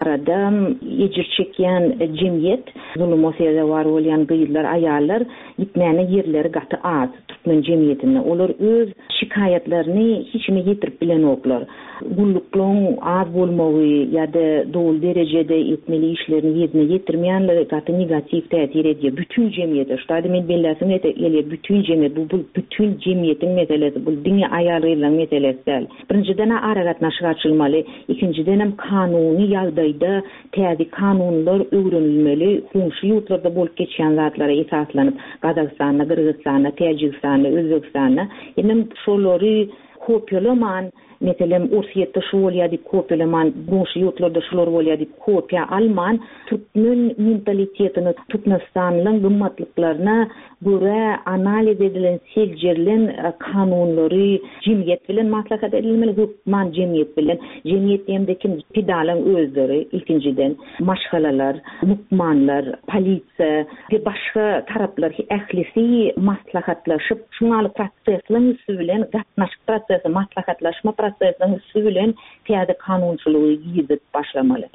Barada ejir çekýän jemgyýet, zuluma sezewar bolýan gyzlar, aýallar gitmäne ýerleri gaty az türkmen jemgyýetinde. Olar öz şikaýatlaryny hiç kime ýetirip bilenoklar. Gulluklaryň az bolmagy ýa-da doly derejede etmeli işlerini ýerine ýetirmeýänligi gaty negatiw täsir edýär bütin jemgyýete. Şu taýda men belläsim gelýär, bütin jemgyýet, bu bütin jemgyýetiň meselesi, bu diňe aýal-gyzlaryň meselesi däl. Birinjiden-ä aragatnaşyk açylmaly, ikinjidenem kanuny ýagdaýda täze kanunlar öwrenilmeli, goňşy ýurtlarda bolup geçýän zatlara esaslanyp, Gazagystanda, Gyrgyzystanda, Täjigistanda, Özbegistanda, hemem şolary kopiýalaman, meselem, Orsýetde şu bolýar diýip kopiýalaman, goňşy ýurtlarda şular bolýar diýip kopiýa alman, türkmen mentalitetini, türkmenistanlyň gymmatlyklaryna görä analiz edilen, seljerilen kanunlary jemgyýet bilen maslahat edilmeli, hökman jemgyýet bilen. Jemgyýet diýemde kim? Pidalaň özleri ilkinjiden, maşgalalar, lukmanlar, polisiýa we başga taraplar ählisi maslahatlaşyp, şuňaly prosesleň üsti bilen, gatnaşyk prosesi, maslahatlaşma prosesiniň üsti bilen täze kanunçylygy girizip başlamaly.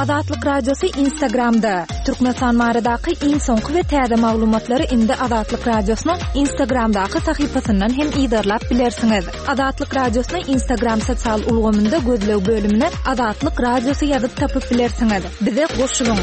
Azatlyk Radiosy Instagramda, Türkmenistan baradaky iň soňky we täze maglumatlary indi Azatlyk Radiosynyň Instagramdaky sahypasyndan hem yzarlap bilersiňiz. Azatlyk Radiosyny Instagram sosial ulgamynda gözleg bölümine Azatlyk Radiosy ýazyp tapyp bilersiňiz. Bize goşulyň!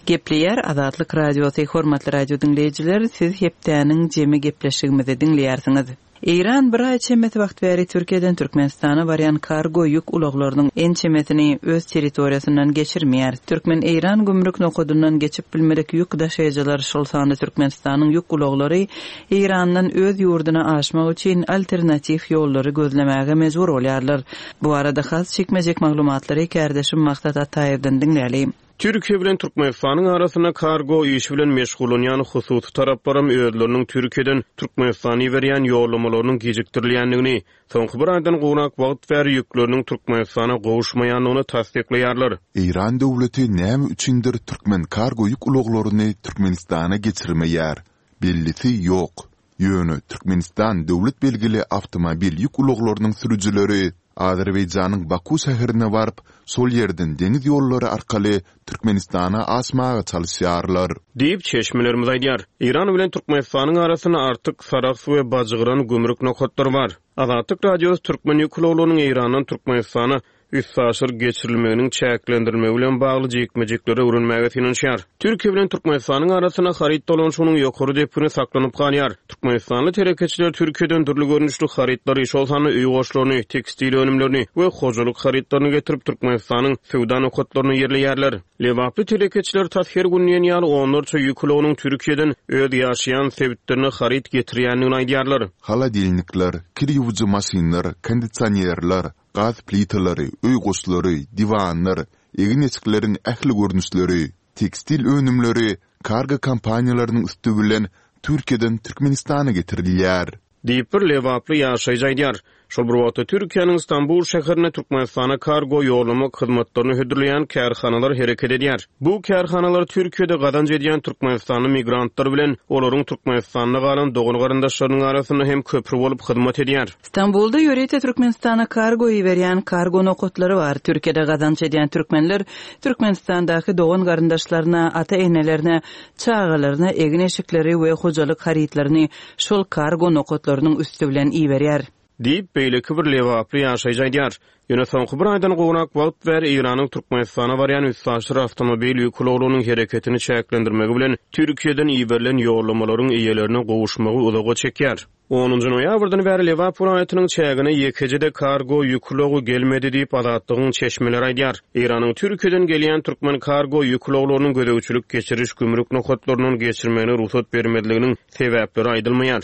Gepleýär Azatlyk Radiosy, Hormatly radio diňleýjiler, siz hepdäniň jemi gepleşigimizi diňleýärsiňiz. Eýran bir aý çemesi wagt bäri Türkiýeden Türkmenistana barýan kargo ýük ulaglarynyň ençemesini öz territoriýasyndan geçirmeýär. Türkmen-eýran gümrük nokadyndan geçip bilmedik ýük daşaýjylar, şol sanda Türkmenistanyň ýük ulaglary Eýrandan öz ýurduna aşmak üçin alternatiw ýollary gözlemäge mejbur bolýarlar. Bu barada has jikme-jik maglumatlary kärdeşim Maksat Ataýewden diňläli. Türkiýe bilen Türkmenistanyň arasynda kargo işi bilen meşgullanýan hususy taraplaram özleriniň Türkiýeden Türkmenistana iberýän ýollamalarynyň gijikdirilýändigini, soňky bir aýdan gowrak wagt bäri ýükleriniň Türkmenistana gowuşmaýandygyny tassyklaýarlar. Eýran döwleti näme üçindir türkmen kargo ýük ulaglaryny Türkmenistana geçirmeýär? Bellisi ýok. Ýöne Türkmenistan döwlet belgili awtomobil ýük ulaglarynyň sürüjileri Azerbaýjanyň Baku şäherine baryp, şol ýerden deňiz ýollary arkaly Türkmenistana aşmaga çalyşýarlar. Diýip, çeşmelerimiz aýdýar. Eýran bilen Türkmenistanyň arasynda Artyk, Sarahs we Bajgyran gümrük nokatlary bar. Azatlyk Radiosy türkmen ýük ulaglarynyň Eýrandan Türkmenistana üstaşyr geçirilmeginiň çäklendirilmegi bilen bagly jikme-jikleri öwrenmäge synanyşýar. Türkiýe bilen Türkmenistanyň arasynda haryt dolanyşygynyň ýokary depgini saklanyp galýar. Türkmenistanly telekeçiler Türkiýeden dürli görnüşli harytlary, şol sanda öý goşlaryny, tekstil önümlerini we hojalyk harytlaryny getirip, Türkmenistanyň söwda nokatlaryna ýerleýärler. Lebaply telekeçiler tas her gün diýen ýaly onlarça ýük ulagynyň Türkiýeden öz ýaşaýan sebitlerine haryt getirýändigini aýdýarlar. Holodilnikler, kir ýuwujy maşynlar, kondisionerler, gaz plitalary, öý goşlary, diwanlar, egin-eşikleriň ähli görnüşleri, tekstil önümleri kargo kompaniýalarynyň üsti bilen Türkiýeden Türkmenistana getirilýär. Diýip, bir lebaply ýaşaýjy aýdýar. Şol bir wagtda, Türkiýäniň Stambul şäherinde Türkmenistana kargo ýollamak hyzmatlaryny hödürleýän kärhanalar hereket edýär. Bu kärhanalar Türkiýede gazanç edýän türkmenistanly migrantlar bilen olaryň Türkmenistanda galan dogan-garyndaşlarynyň arasynda hem köpri bolup hyzmat edýär. Stambulda ýörite Türkmenistana kargo iberýän kargo nokatlary bar. Türkiýede gazanç edýän türkmenler Türkmenistandaky dogan-garyndaşlaryna, ata-enelerine, çagalaryna egin-eşikleri we hojalyk harytlaryny şol kargo nokatlarynyň üsti bilen iberýär. Diýip, beýleki bir lebaply ýaşaýjy aýdýar. Ýöne soňky bir aýdan gowrak wagt bäri Eýranyň Türkmenistana barýan üstaşyr awtomobil ýük ulaglarynyň hereketini çäklendirmegi bilen Türkiýeden iberilen ýollamalaryň eýelerine gowuşmagy uzaga çekýär. Onunjy noýabrdan bäri Lebap welaýatynyň çägine ýekeje-de kargo ýük ulagy gelmedi diýip, Azatlygyň çeşmeleri aýdýar. Eýranyň Türkiýeden gelýän türkmen kargo ýük ulaglarynyň gözegçilik-geçiriş gümrük nokatlaryndan geçirmegine rugsat bermezliginiň sebäpleri aýdylmaýar.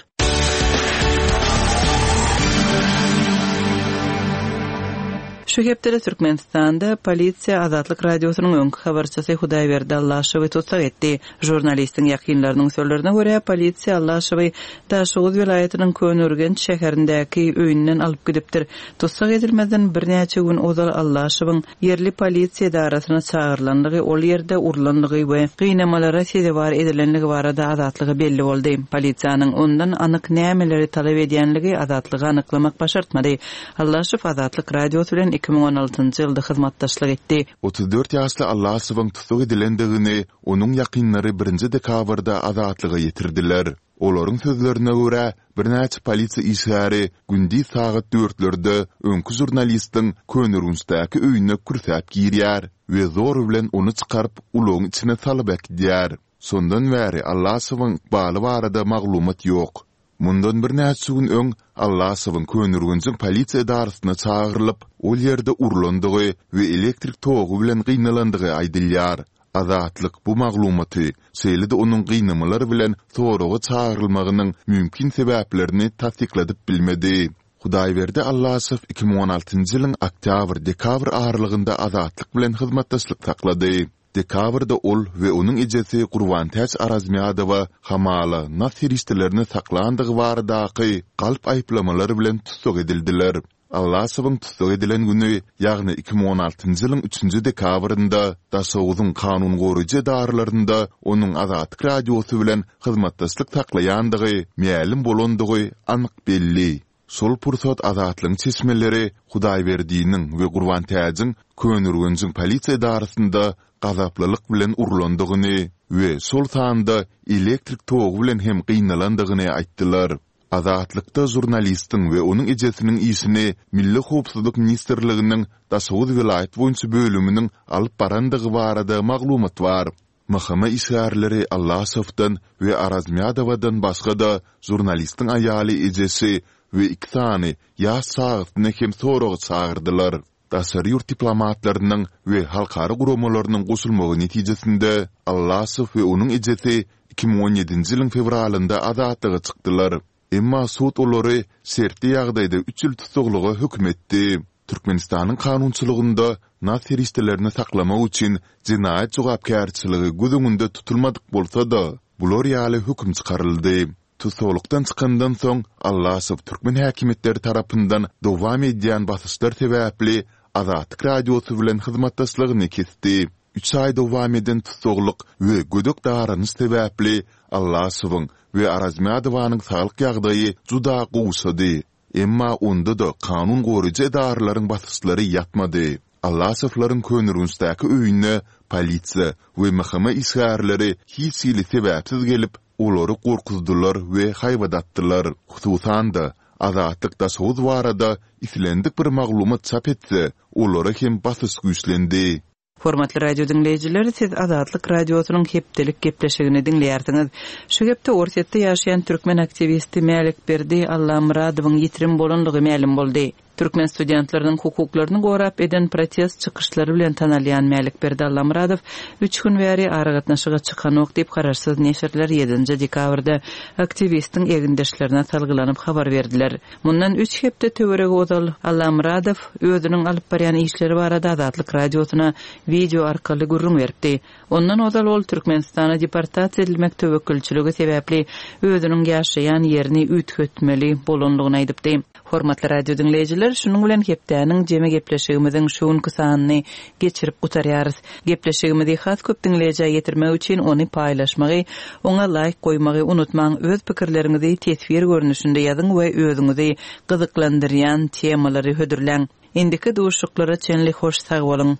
Şu hepdede Türkmenistanda polisiýa Azatlyk Radiosynyň öňki habarçysy Hudaýberdi Allaşowy tussag etdi. Žurnalistiň ýakynlarynyň sözlerine görä, polisiýa Allaşowy Daşoguz welaýatynyň Köneürgenç şäherindäki öýünden alyp gidipdir. Tussag edilmezden birnäçe gün ozal Allaşowyň ýerli polisiýa edarasyna çagyrylandygy, ol ýerde urlandygy we gynamalara sezewar edilenligi barada Azatlyga belli boldy. Polisiýanyň ondan anyk nämeleri talap edýänligi Azatlyga anyklamak başartmady. Allaşow Azatlyk Radiosy bilen 2016-njy ýylda hyzmatdaşlyk etdi. 34 ýaşly Allaşowyň tussag edilendigini onuň ýakynlary birinji dekabrda Azatlyga ýetirdiler. Olaryň sözlerine görä, birnäçe polisiýa işgäri gündiz sagat dörtlerde öňki žurnalistiň Köneürgençdäki öýüne kürsäp girýär we zor bilen ony çykaryp, ulagyň içine salyp äkidýär. Şondan bäri Allaşowyň ykbaly barada maglumat ýok. Mundan birnäçe gün öň Allaşowyň Köneürgenjiň polisiýa edarasyna çagyrylyp, ol ýerde urlandygy we elektrik togy bilen gynalandygy aýdylýar. Azatlyk bu maglumaty, şeýle-de onuň gynamalar bilen soraga çagyrylmagynyň mümkin sebäplerini tassykladyp bilmedi. Hudaýberdi Allaşow 2016-njy ýylyň oktýabr-dekabr aralygynda Azatlyk bilen hyzmatdaşlyk saklady. Dekabrda ol we onuň ejesi Gurbantäç Arazmýadowa hamala nas serişdelerini saklandygy baradaky galp aýyplamalar bilen tussag edildiler. Allaşowyň tussag edilen güni, ýagny 2016-njy ýylyň üçünji dekabrynda Daşoguzyň kanun goraýjy edaralarynda onuň Azatlyk Radiosy bilen hyzmatdaşlyk saklaýandygy mälim bolandygy anyk belli. Şol pursat Azatlygyň çeşmeleri Hudaýberdiniň we Gurbantäjiň Köneürgenjiň polisiýa edarasynda gazaplylyk bilen urlandygyny we şol sanda elektrik togy bilen hem gynalandygyny aýtdylar. Azatlykda žurnalistiň we onuň ejesiniň işini Milli howpsuzlyk ministrliginiň Daşoguz welaýat boýunça bölüminiň alyp barandygy barada maglumat bar. MHM işgärleri Allaşowdan we Arazmýadowadan başga-da, žurnalistiň aýaly, ejesi we iki sany ýaş çagasyny hem soraga çagyrdylar. Daşary ýurt diplomatlarynyň we halkara guramalarynyň goşulmagy netijesinde, Allaşow we onuň ejesi 2017-nji ýylyň fewralynda azatlyga çykdylar. Emma sud olary şertli ýagdaýda üç ýyl tussaglyga höküm etdi. Türkmenistanyň kanunçylygynda nas serişdelerini saklamak üçin jenaýat jogapkärçiligi göz öňünde tutulmadyk bolsa-da, bular ýaly höküm çykaryldy. Tussaglykdan çykandan soň, Allaşow türkmen häkimiýetleri tarapyndan dowam edýän basyşlar sebäpli Azatlyk Radiosy bilen hyzmatdaşlygyny kesdi. Üç aý dowam eden tussaglyk we gödek daranyş sebäpli Allaşowyň we Arazmyradowanyň saglyk ýagdaýy juda gowşady. Emma onda-da kanun goraýjy edaralaryň basyşlary ýatmady. Allaşowlaryň Köneürgençdäki öýüne polisiýa we MHM işgärleri hiç hili sebäpsiz gelip, olary gorkuzdylar we haýbat atdylar. Hususan-da, Azatlyk Daşoguz barada islendik bir maglumat çap etse, olara hem basyş güýçlendi. Hormatly radio diňleýjiler, siz Azatlyk Radiosynyň hepdelik gepleşigini diňleýärsiňiz. Şu hepde Orsýetde ýaşaýan türkmen aktiwisti Mälikberdi Allamyradowyň ýitirim bolanlygy mälim boldy. Türkmen studentleriniň hukuklaryny gorap eden protest çykyşlary bilen tanalýan Mälikberdi Allamyradow üç gün bäri aragatnaşyga çykanok diýip, garaşsyz neşirler ýedinji dekabrda aktiwistiň egindeşlerine salgylanyp habar berdiler. Mundan üç hepde töweregi ozal Allamyradow özüniň alyp barýan işleri barada Azatlyk Radiosyna wideo arkaly gürrüň beripdi. Ondan ozal ol Türkmenistana deportasiýa edilmek töwekgelçiligi sebäpli özüniň ýaşaýan ýerini üýtgetmeli bolanlygyny aýdypdy. Hormatly radio diňleýjiler, şunuň bilen hepdäniň jemi gepleşigimiziň şu günki sanyny geçirip gutarýarys. Gepleşigimizi has köp diňleýjä ýetirmek üçin ony paýlaşmagy, oňa laýk goýmagy unutmaň, öz pikirleriňizi teswir görnüşinde ýazyň we özüňizi gyzyklandyrýan temalary hödürläň. Indiki duşuşyklara çenli hoş sag boluň!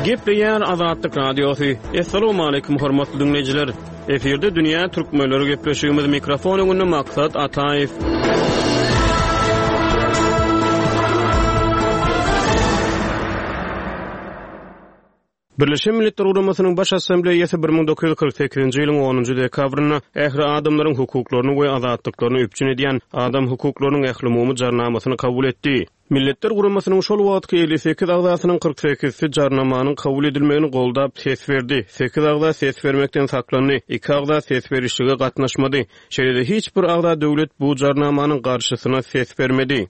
Gepleýär Azatlyk Radiosy. Assalamualaikum hormatly dinleýjiler. Efirde dünýä türkmenleri gepleşigimiz mikrofon öňünde Maksat Ataýew. Birleşen Milletler Guramasynyň Baş Assambleýasy 1948-nji ýylyň onunjy dekabrynda ähli adamlaryň hukuklaryny we azatlyklaryny üpjün edýän Adam hukuklarynyň ählumumy Jarnamasyny kabul etdi. Milletler Guramasynyň şol wagtky 58 agzasynyň 48-si Jarnamanyň kabul edilmegini goldap ses berdi, sekiz agza ses bermekden saklandy, iki agza ses berişlige gatnaşmady. Şeýle-de hiç bir agza döwlet bu Jarnamanyň garşysyna ses bermedi.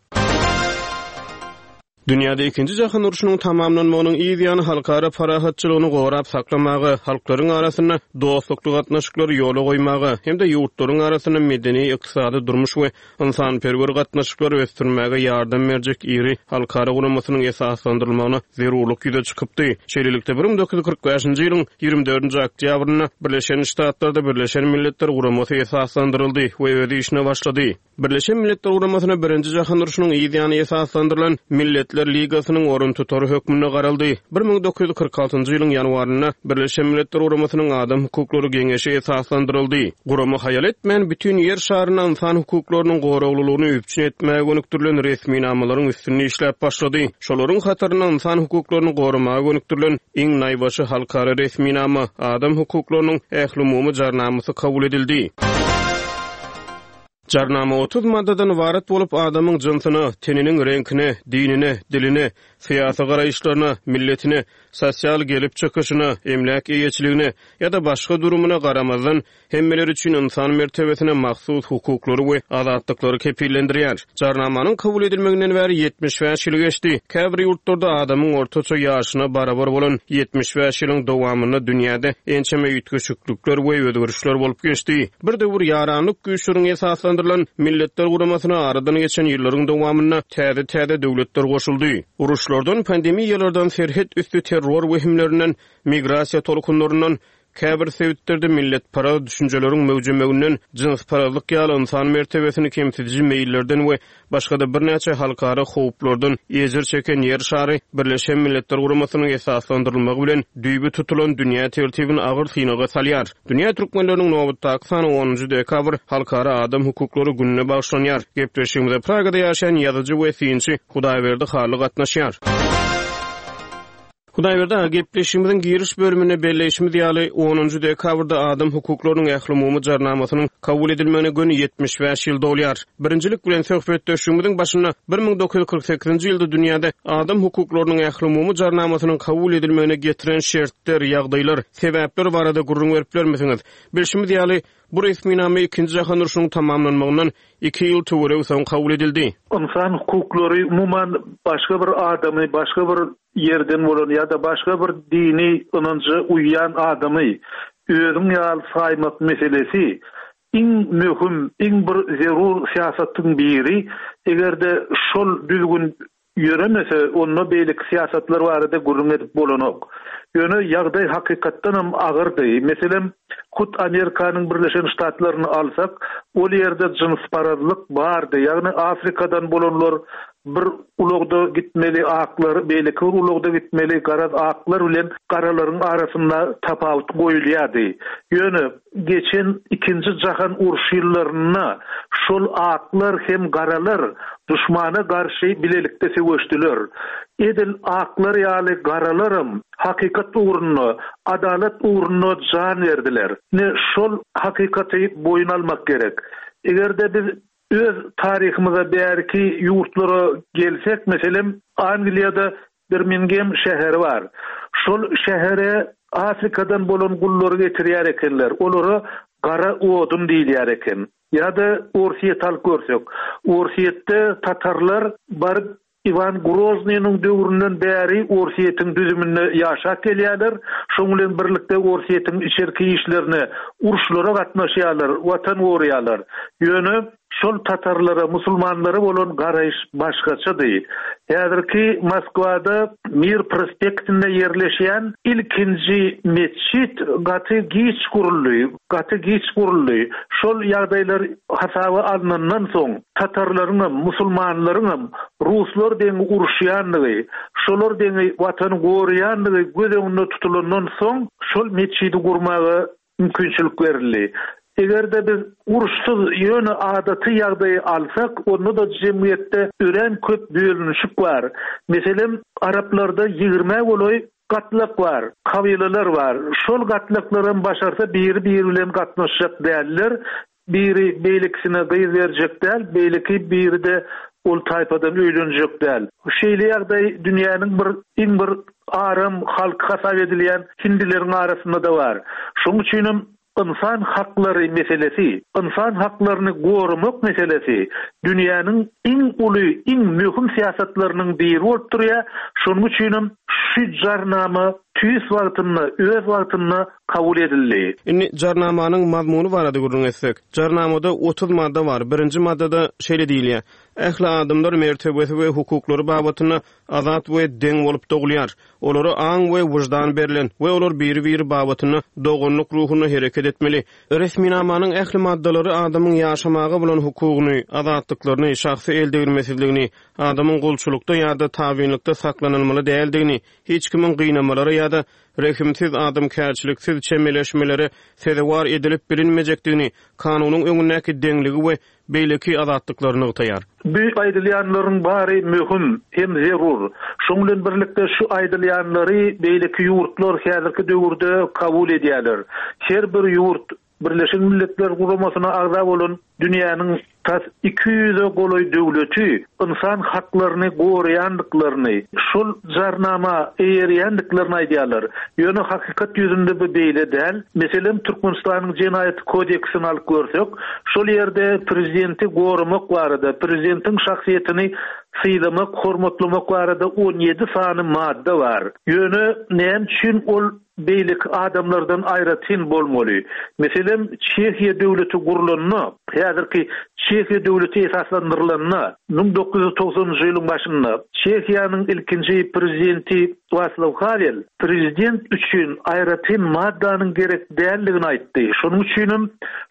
Dünýäde Ikinji jahan urşunyň tamamlanmagynyň yz ýany halkara parahatçylygyny gorap saklamaga, halklaryň arasynda dostlukly gatnaşyklary ýola goýmaga hem-de ýurtlaryň arasynda medeni, ykdysady, durmuş we ynsanperwer gatnaşyklary ösdürmäge ýardam berjek iri halkara guramasynyň esaslandyrylmagyna zerurlyk ýüze çykypdy. Şeýlelikde, 1945-nji ýylyň 24-nji oktýabrynda Birleşen Ştatlarda Birleşen Milletler Guramasy esaslandyryldy we öz işine başlady. Birleşen Milletler Guramasyna Birinji jahan urşunyň yz ýany esaslandyrylan Milletler Ligasynyň oruntutary hökmünde garaldy. 1946-njy ýylyň ýanwarynda Birleşen Milletler Guramasynyň Adam hukuklary geňeşi esaslandyryldy. Gurama haýal etmän bütin Ýer şarynda ynsan hukuklarynyň goraglylygyny üpjün etmäge gönükdirilen resminamalaryň üstünde işläp başlady. Şolaryň hatarynda ynsan hukuklaryny goramaga gönükdirilen iň naýbaşy halkara resminama, Adam hukuklarynyň ählumumy Jarnamasy kabul edildi. Jarnama 30 maddadan ybarat bolup, adamyň jynsyna, teniniň reňkine, dinine, diline, syýasy garaýyşlaryna, milletine, sosial gelip çykyşyna, emläk eýeçiligine ýa-da başga durumyna garamazdan, hemmeler üçin ynsan mertebesine mahsus hukuklary we azatlyklary kepillendirýär. Jarnamanyň kabul edilmeginden bäri 75 ýyl geçdi. Käbir ýurtlarda adamyň ortaça ýaşyna barabar bolan 75 ýylyň dowamynda dünýäde ençeme üýtgeşiklikler we özgerişler bolup geçdi. Bir döwür ýaranlyk güýçleriň esaslandyrylan Milletler Guramasyna aradan geçen ýyllaryň dowamynda täze-täze döwletler goşuldy. Uruşlardan, pandemiýalardan, serhet üsti terror wehimlerinden, migrasiýa tolkunlaryndan, käbir sebitlerde milletparaz düşünjeleriň möwjemeginden, jynsparazlyk ýaly ynsan mertebesini kemsidiji meýillerden we başga-da birnäçe halkara howplardan ejir çeken Ýer şary Birleşen Milletler Guramasynyň esaslandyrylmagy bilen düýbi tutulan dünýä tertibini agyr synaga salýar. Dünýä türkmenleriniň nobatdaky sany onunjy dekabr Halkara adam hukuklary gününe bagyşlanýar. Gepleşigimize Pragada ýaşaýan ýazyjy we synçy Hudaýberdi Hally gatnaşýar. Hudaýberdi aga, gepleşigimiziň giriş bölüminde belleýşimiz ýaly, onunjy dekabrda Adam hukuklarynyň ählumumy Jarnamasynyň kabul edilmegine göni 75 ýyl dolýar. Birinjilik bilen, söhbetdeşligimiziň başynda 1948-nji ýylda dünýäde Adam hukuklarynyň ählumumy Jarnamasynyň kabul edilmegine getiren şertler, ýagdaýlar, sebäpler barada gürrüň berip bilermisiňiz? Bilşimiz ýaly, bu resminama Ikinji jahan urşunyň tamamlanmagyndan iki ýyl töweregi soň kabul edildi. Ynsan hukuklary, umuman, başga bir adamy, başga bir ýerden bolan ýa-da başga bir dini ynanja uýýan adamy özüň ýaly saýmak meselesi iň möhüm, iň bir zerur syýasatyň biri. Eger-de şol düzgün ýöremese, onda beýleki syýasatlar barada gürrüň edip bolanok. Ýöne ýagdaý hakykatdanam agyrdy. Meselem, hut Amerikanyň Birleşen Ştatlaryny alsak, ol ýerde jynsparazlyk bardy, ýagny Afrikadan bolanlar Bir ulagda gitmeli aklar, beýleki bir ulagda gitmeli garaz aklar bilen garalaryň arasynda tapawut goýulýardy. Ýöne geçen ikinji jahan urşy ýyllarynda şol aklar hem garalar duşmana garşy bilelikde söweşdiler. Edil aklar ýaly garalaram hakykat ugrunda, adalat ugrunda jan berdiler. Ine şol hakykaty boýun almak gerek. Eger-de biz Öz taryhymyza bäriki ýurtlara gelsek, meselem, Angliýada Birmingem şäheri bar. Şol şähere Afrikadan bolan gullary getirýär ekenler. Olara gara odun diýilýär eken. Ýa-da Orsýeti alyp görsek. Orsýetde tatarlar baryp Iwan Groznynyň döwründen bäri Orsýetiň düzüminde ýaşap gelýärler. Şoň bilen birlikde Orsýetiň içerki işlerine, uruşlara gatnaşýarlar, watan goraýarlar. Ýöne şol tatarlara, musulmanlara bolan garaýyş başgaçady. Häzirki Moskwada Mir prospektinde ýerleşýän ilkinji metjit gaty giç guruldy, gaty giç guruldy. Şol ýagdaýlar hasaba alnandan soň, tatarlaryňam, musulmanlaryňam ruslar deňi uruşýandygy, şolar deňi watany goraýandygy göz öňünde tutulandan soň, şol metjidi gurmaga mümkinçilik berildi. Eger-de biz uruşsyz, ýöne adaty ýagdaýy alsak, onda-da jemgyýetde örän köp bölünişik bar. Meselem, araplarda ýigrimä golaý. gatlak bar, kabylalar bar. Şol gatlaklaram başarsa biri-biri bilen gatnaşjak däller. Biri beýlekisine gyz berjek däl, beýleki biri-de ol taýpadan öýlenjek däl. Şeýle ýagdaý dünýäniň bir iň bir aram halky hasap edilýän hindileriň arasynda-da bar. Şonuň üçinem ynsan haklary meselesi, ynsan haklaryny goramak meselesi dünýäniň iň uly, iň möhüm syýasatlarynyň biri bolup durýar. Şonuň üçinem şu jarnama tüýs wagtynda, öz wagtynda kabul edildi. Indi Jarnamanyň mazmuny barada gürrüň etsek. Jarnamada 30 madda bar. Birinji maddada şeýle diýilýär, Ähli adamlar mertebesi we hukuklary babatynda azat we deň bolup dogulýar. Olara aň we wyždan berlen we olar biri-biri babatynda doganlyk ruhunda hereket etmeli. Resminamanyň ähli maddalary adamyň ýaşamaga bolan hukugyny, azatlyklaryny, şahsy eldegrilmesizligini, adamyň gulçulykda ýa-da tabynlykda saklanylmaly däldigini, hiç kimiň gynamalara ýa-da rehimsiz, adamkärçiliksiz çemeleşmelere sezewar edilip bilinmejekdigini, kanunyň öňündäki deňligi we beýleki azatlyklary nygtaýar. Bu aýdylýanlaryň bary möhüm hem zerur. Şoň bilen birlikde şu aýdylýanlary beýleki ýurtlar häzirki döwürde kabul edýärler. Her bir ýurt Birleşen Milletler Guramasyna agza bolan dünýäniň tas 200-e golaý döwleti ynsan haklaryny goraýandyklaryny, şol Jarnama eýerýändiklerini aýdýarlar. Ýöne hakykat ýüzünde bu beýle däl. Meselem, Türkmenistanyň Jenaýat kodeksini alyp görsek, şol ýerde prezidenti goramak barada, prezidentiň şahsyýetini sylamak, hormatlamak barada 17 sany madda bar. Ýöne näme üçin ol beýleki adamlardan aýratyn bolmaly. Meselem, Çehiýa döwleti gurlanda, häzirki Çehiýa döwleti esaslandyrylanda, 1990-njy ýylyň başynda Çehiýanyň ilkinji prezidenti Waslaw Hawel prezident üçin aýratyn maddanyň gerek däldigini aýtdy. Şonuň üçinem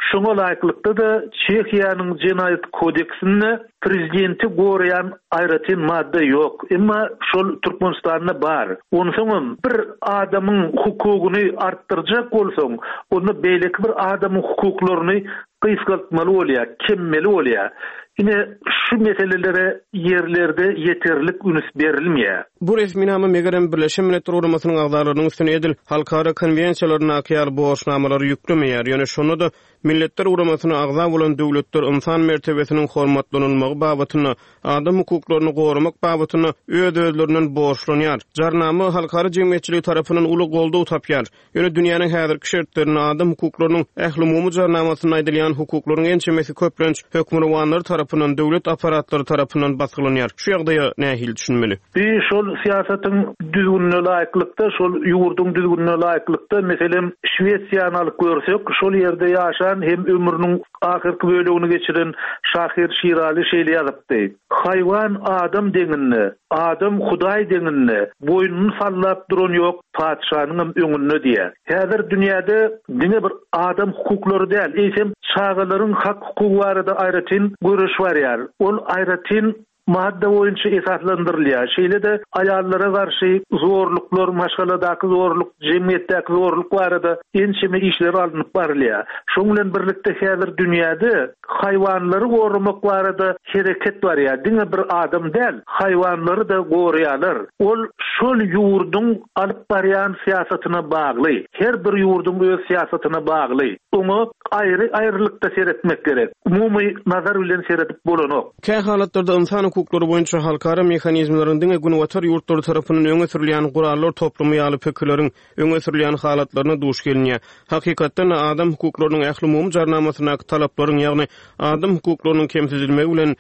şoňa laýyklykda-da Çehiýanyň Jenaýat kodeksinde Prezidenti goraýan aýratyn madda ýok. Emma şol Türkmenistanda bar. Onsoňam bir adamyň hukugyny artdyrjak bolsaň, onda beýleki bir adamyň hukuklaryny gysgaltmaly bolýar, kemmeli bolýar. Ine, şu meselelere ýerlerde ýeterlik üns berilmeýär. Bu resminama, megerem, Birleşen Milletler Guramasynyň agzalarynyň üstüne edil halkara konwensiýalaryndaky ýaly borçnamalary ýüklemeýär, ýöne şonda-da Milletler Guramasyna agza bolan döwletler ynsan mertebesiniň hormatlanylmagy babatynda, adam hukuklaryny goramak babatynda öz-özlerinden borçlanýar. Jarnama halkara jemgyýetçiligi tarapyndan uly goldaw tapýar. Ýöne dünýäniň häzirki şertlerinde adam hukuklarynyň ählumumy Jarnamasynda aýdylýan hukuklaryň ençemesi köplenç hökmürowanlar tarapyndan, döwlet apparatlary tarapyndan basgylanýar. Şu ýagdaýa nähili düşünmeli? Bi şol syýasatyň düzgünine laýyklykda, şol ýurduň düzgünine laýyklykda, meselem, Şwesiýany alyp görsek, şol ýerde ýaşan hem ömrüniň ahyrky bölegini geçiren şahyr Şiraly şeýle ýazypdy, Haýwan adam deňinde, adam Hudaý deňinde, boýnuny sallap duran ýok patyşanyňam öňünde diýýär. Häzir dünýäde diňe bir adam hukuklary däl, eýsem, çagalaryň hak-hukugy barada aýratyn göreş barýar. Ol aýratyn Madda boýunça esaslandyrylýar. Şeýle-de aýallara garşy zorluklar, maşgaladaky zorluk, jemgyýetdäki zorluk barada ençeme işler alnyp barylýar. Şonuň bilen birlikde häzir dünýäde haýwanlary goramak barada hereket barýar. Diňe bir adam däl, haýwanlary-da goraýarlar. Ol şol ýurduň alyp barýan syýasatyna bagly. Her bir ýurduň öz syýasatyna bagly. Oňa aýry-aýrylykda seretmek gerek. Umumy nazar bilen seredip bolanok. Kä halatlarda ynsan hukuklary boýunça halkara mehanizmleriň diňe Günbatar ýurtlary tarapyndan öňe sürülýän gurallar toplumy ýaly pikirleriň öňe sürülýän halatlaryna duş gelinýär. Hakykatdan-da, adam hukuklarynyň ählumumy jarnamasyndaky talaplaryň, ýagny adam hukuklarynyň kemsidilmegi bilen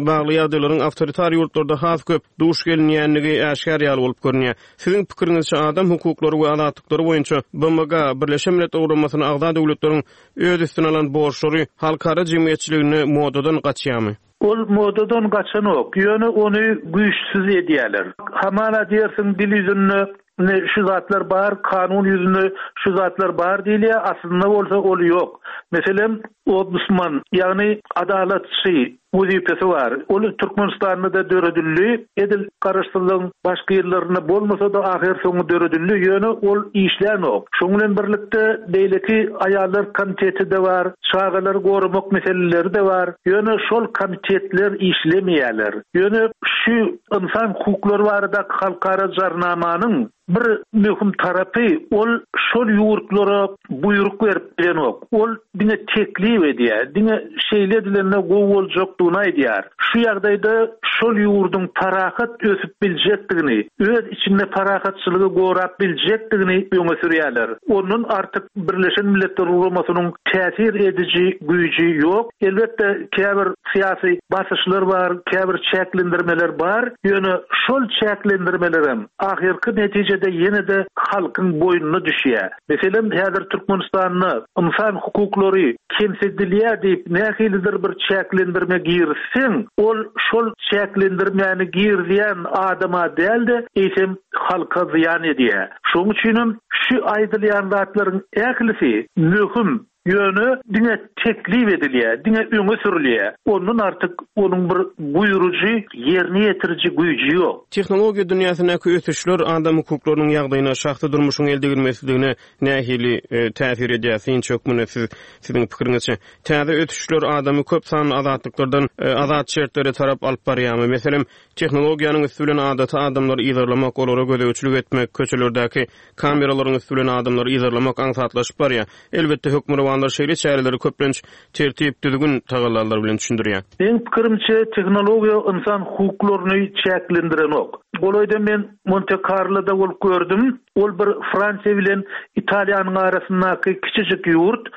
bagly ýagdaýlaryň awtoritar ýurtlarda has köp duş gelinýändigi äşgär ýaly bolup görünýär. Siziň pikiriňizçe, adam hukuklary we azatlyklary boýunça BMG-a, Birleşen Milletler Guramasyna agza döwletleriň öz üstüne alan borçlary halkara jemgyýetçiliginde modadan gaçýarmy? Ol modadan gaçanok, ýöne ony güýçsüz edýärler. Hamala diýersiň dil ýüzünde ine şu zatlar bar, kanun ýüzünde şu zatlar bar diýilýär, aslynda bolsa ol ýok. Meselem, ombudsman, ýagny adalatçy. wezipesi bar. Ol Türkmenistanda-da döredildi. Edil Garaşsyzlygyň başky ýyllarynda bolmasa-da, ahyrsoňy döredildi, ýöne ol işlänok. Şonuň bilen birlikde, beýleki aýallar komiteti-de bar, çagalary goramak meseleleri-de bar. Ýöne şol komitetler işlemeýärler. Ýöne şu ynsan hukuklary baradaky halkara jarnamanyň Bir möhüm tarapy, ol şol ýurtlara buýruk berip bilenok. Ol diňe teklip edýär, diňe şeýle edilende gowy boljakdygyny aýdýar. Şu ýagdaýda şol ýurduň parahat ösüp biljekdigini, öz içinde parahatçylygy gorap biljekdigini öňe sürýärler. Ondan artyk Birleşen Milletler Guramasynyň täsir ediji güýji ýok. Elbetde, käbir syýasy basyşlar bar, käbir çäklendirmeler bar, ýöne şol çäklendirmelerem ahyrky netijede ýene-de halkyň boýnuna düşýär. Meselem, häzir Türkmenistanda ynsan hukuklary kemsidilýär diýip nähilidir bir çäklendirme girizseň, ol şol çäklendirmäni girizýän adama däl-de, eýsem halka zyýan edýär. Şonuň üçinem şu aýdylýan zatlaryň ählisi möhüm Ýöne diňe teklip edilýär, diňe öňe sürülýär. Ondan artyk onuň bir buýrujy, ýerine ýetiriji güýji ýok. Tehnologiýa dünýäsindäki ösüşler adam hukuklarynyň ýagdaýyna, şahsy durmuşyň eldegrilmesizligine nähili täsir edýär? Synçy hökmünde siz, siziň pikiriňizçe, täze ösüşler adamy köp sanly azatlyklardan azat şertlere tarap alyp barýarmy? Meselem, tehnologiýanyň üsti bilen adaty adamlary yzarlamak, olara gözegçilik etmek, köçelerdäki Kameralaryň üsti bilen adamlary yzarlamak aňsatlaşyp barýar. Elbetde, hökmürowanlar şeýle çäreleri köplenç tertip, düzgün tagallalary bilen düşündirýär. Meň pikirimçe, tehnologiýa ynsan hukuklaryny çäklendirenok. Golaýda men Monte-Karloda bolup gördüm. Ol bir Fransiýa bilen Italiýanyň arasyndaky kiçijik ýurt.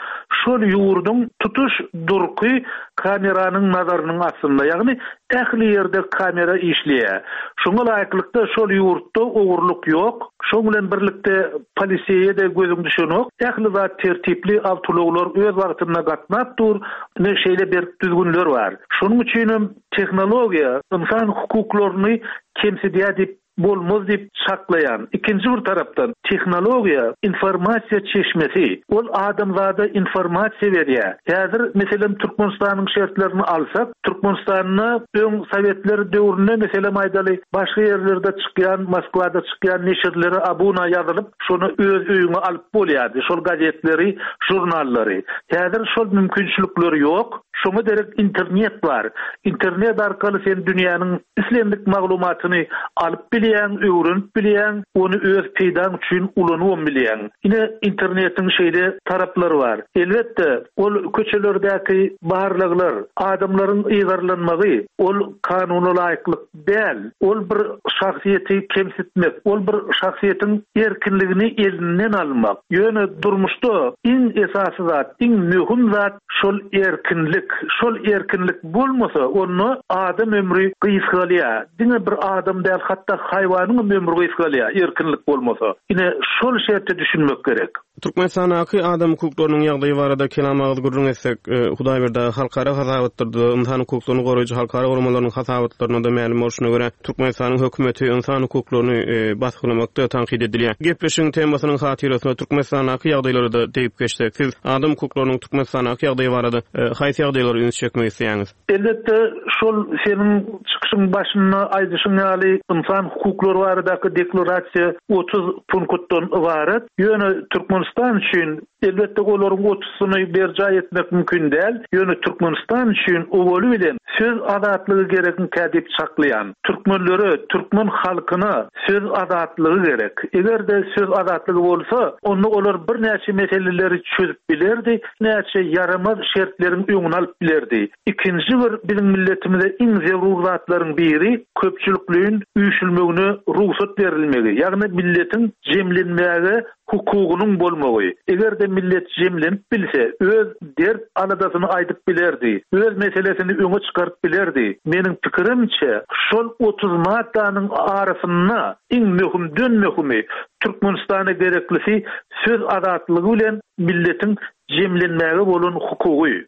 Şol ýurduň tutuş durky kameranyň nazarynyň astynda, ýagny ähli ýerde kamera işleýär. Şoňa laýyklykda şol ýurtda ogurlyk ýok. Şoň bilen birlikde poliseýe-de gözüň düşenok. Ähli zat tertipli, awtoulaglar öz wagtynda gatnap dur. Ine şeýle berk düzgünler bar. Şonuň üçinem tehnologiýa ynsan hukuklaryny kemsidýär diýip bolmaz diýip çaklaýan. Ikinji bir tarapdan, tehnologiýa informasiýa çeşmesi. Ol adamzada informasiýa berýär. Häzir, meselem, Türkmenistanyň şertlerini alsak, Türkmenistanda öň sowetler döwründe, meselem aýdaly, başga ýerlerde çykýan, Moskwada çykýan neşirlere abuna ýazylyp, şony öz öýüňe alyp bolýardy, şol gazetleri, žurnallary. Häzir şol mümkinçilikler ýok. Şoňa derek internet bar. Internet arkaly sen dünýäniň islendik maglumatyny alyp bilýäň, öwrenip bilýäň, ony öz peýdaň üçin ulanybam bilýäň. Ine, internetiň şeýle taraplary bar. Elbetde, ol köçelerdäki barlaglar, adamlaryň yzarlanmagy, ol kanuna laýyklyk däl. Ol bir şahsyýeti kemsitmek, ol bir şahsyýetiň erkinligini elinden almak. Ýöne durmuşda iň esasy zat, iň möhüm zat şol erkinlik. Şol erkinlik bolmasa, onda adam ömri gysgalýar. Diňe bir adam däl, hatda haýwanyňam ömri gysgalýar, erkinlik bolmasa. Ine, şol şerte düşünmek gerek. Türkmenistandaky adam hukuklarynyň ýagdaýy barada kelam agyz gürrüň etsek, Hudaýberdi aga, halkara hasabatlarda, ynsan hukuklaryny goraýjy halkara guramalarynyň hasabatlarynda-da mälim bolşuna görä, Türkmenistanyň hökümeti ynsan hukuklaryny basgylamakda tankyt edilýär. Gepleşigiň temasynyň hatyrasyna Türkmenistandaky ýagdaýlara-da degip geçsek, siz adam hukuklarynyň Türkmenistandaky ýagdaýy barada haýsy ýagdaýlara üns çekmek isleýäňiz? Elbetde, şol seniň çykyşyň başynda aýdyşyň ýaly, ynsan hukuklary baradaky deklarasiýa 30 punktdan ybarat. Ýöne Türkmenistan üçin, elbetde, olaryň otuzysyny berjaý etmek mümkin däl, ýöne Türkmenistan üçin owaly bilen söz azatlygy gerekmikä diýip çaklaýan. Türkmenlere, türkmen halkyna söz azatlygy gerek. Eger-de söz azatlygy bolsa, onda olar birnäçe meseleleri çözüp bilerdi, näçe ýaramaz şertleriň öňüni alyp bilerdi. Ikinji bir biziň milletimize iň zerur zatlaryň biri köpçülikleýin üýşülmegine rugsat berilmegi, ýagny milletiň jemlenmäge hukugynyň bolmagy. Eger-de millet jemlenip bilse, öz dert-aladasyny aýdyp bilerdi, öz meselesini öňe çykaryp bilerdi. Meniň pikirimçe, şol 30 maddanyň arasynda iň möhümden-möhümi, Türkmenistana gereklisi söz azatlygy bilen milletiň jemlenmäge bolan hukugy.